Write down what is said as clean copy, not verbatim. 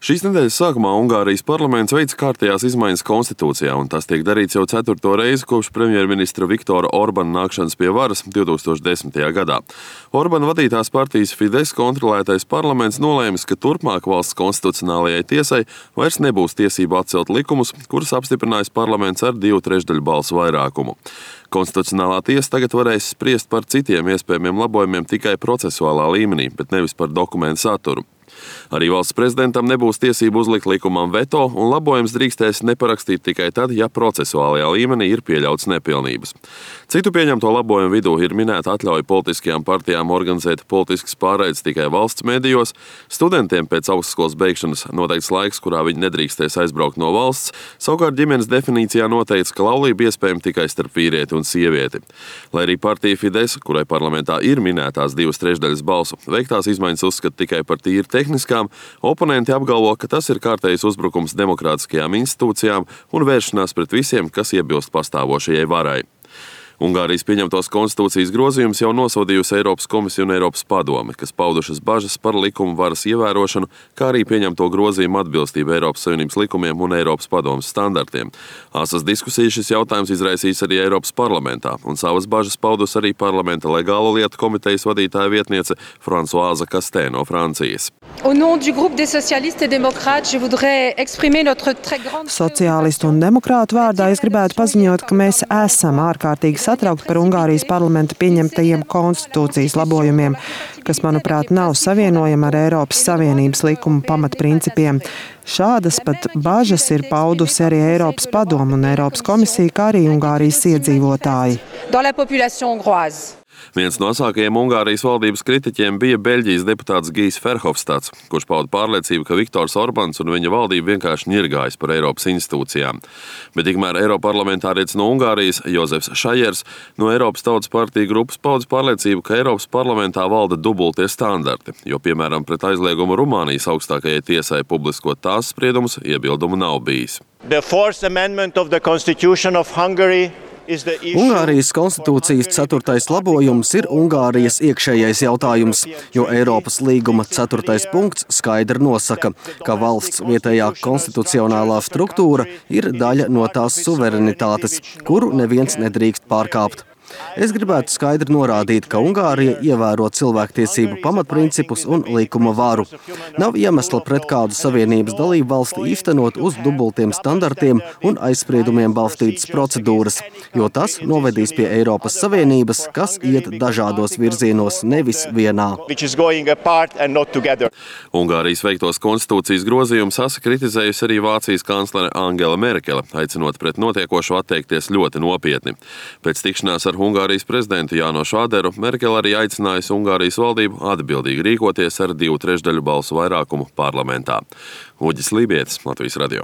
Šīs nedēļas sākumā Ungārijas parlaments veica kārtējās izmaiņas konstitūcijā, un tas tiek darīts jau 4. reizi kopš premjerministra Viktora Orbana nākšanas pie varas 2010. gadā. Orbana vadītās partijas Fidesz kontrolētais parlaments nolēmis, ka turpmāk valsts konstitucionālajai tiesai vairs nebūs tiesība atcelt likumus, kurus apstiprinājis parlaments ar 2/3 balsu vairākumu. Konstitucionālā tiesa tagad varēs spriest par citiem iespējamiem labojumiem tikai procesuālā līmenī, bet nevis par dokumentu saturu. Arī valsts prezidentam nebūs tiesību uzlikt likumam veto, un labojums drīkstēs neparakstīt tikai tad, ja procesuālajā līmenī ir pieļauts nepilnības. Citu pieņemto labojumu vidū ir minēta atļauja politiskajām partijām organizēt politiskas pārraides tikai valsts medijos, studentiem pēc augstskolas beigšanas noteikts laiks, kurā viņi nedrīkstēs aizbraukt no valsts, savukārt ģimenes definīcijā noteikts, ka laulība iespējama tikai starp vīrieti un sievieti. Lai arī partija Fidesz, kurai parlamentā ir minētās 2/3 balsu, veiktās izmaiņas uzskata tikai par tīri tehniskām, oponenti apgalvo, ka tas ir kārtējs uzbrukums demokrātiskajām institūcijām un vēršanās pret visiem, kas iebilst pastāvošajai varai. Ungārijas pieņemtos konstitūcijas grozījumus jau nosodījusi Eiropas komisija un Eiropas padome, kas paudušas bažas par likuma varas ievērošanu, kā arī pieņemto grozījumu atbilstību Eiropas Savienības likumiem un Eiropas padomes standartiem. Asas diskusijas šis jautājums izraisīs arī Eiropas parlamentā, un savas bažas paudus arī parlamenta legālo lietu komitejas vadītāja vietniece Françoise Castex no Francijas. Au nom du groupe des socialistes et démocrates, je voudrais exprimer notre très grande... Sociālistu un demokrātu vārdā es gribētu paziņot, ka mēs esam ārkārtīgi satraukti par Ungārijas parlamenta pieņemtajiem konstitūcijas labojumiem, kas, manuprāt, nav savienojami ar Eiropas Savienības likuma pamatprincipiem. Šādas pat bažas ir paudusi arī Eiropas padome un Eiropas komisija, kā arī Ungārijas iedzīvotāji. Dans la population hongroise. Viens no asākajiem Ungārijas valdības kritiķiem bija Beļģijas deputāts Gijs Verhofstadts, kurš pauda pārliecību, ka Viktors Orbans un viņa valdība vienkārši ņirgājas par Eiropas institūcijām. Bet tikmēr eiroparlamentārietis no Ungārijas Jozefs Šajers no Eiropas Tautas partija grupas pauda pārliecību, ka Eiropas parlamentā valda dubultie standarti, jo, piemēram, pret aizliegumu Rumānijas augstākajai tiesai publiskot tās spriedumus iebildumu nav bijis. The Fourth Amendment of the Constitution of Hungary. Ungārijas konstitūcijas 4. labojums ir Ungārijas iekšējais jautājums, jo Eiropas līguma 4. punkts skaidri nosaka, ka valsts vietējā konstitucionālā struktūra ir daļa no tās suverenitātes, kuru neviens nedrīkst pārkāpt. Es gribētu skaidri norādīt, ka Ungārija ievēro cilvēktiesību pamatprincipus un likuma varu. Nav iemesla pret kādu savienības dalību valsti īstenot uz dubultiem standartiem un aizspriedumiem balstītas procedūras, jo tas novedīs pie Eiropas Savienības, kas iet dažādos virzienos, nevis vienā. Ungārijas veiktos konstitūcijas grozījumus asa kritizējusi arī Vācijas kanclere Angela Merkele, aicinot pret notiekošo atteikties ļoti nopietni. Pēc tikšanās ar Ungārijas prezidentu Jānošu Aderu Merkele arī aicinājusi Ungārijas valdību atbildīgi rīkoties ar 2/3 balsu vairākumu parlamentā. Uģis Lībietis, Latvijas radio.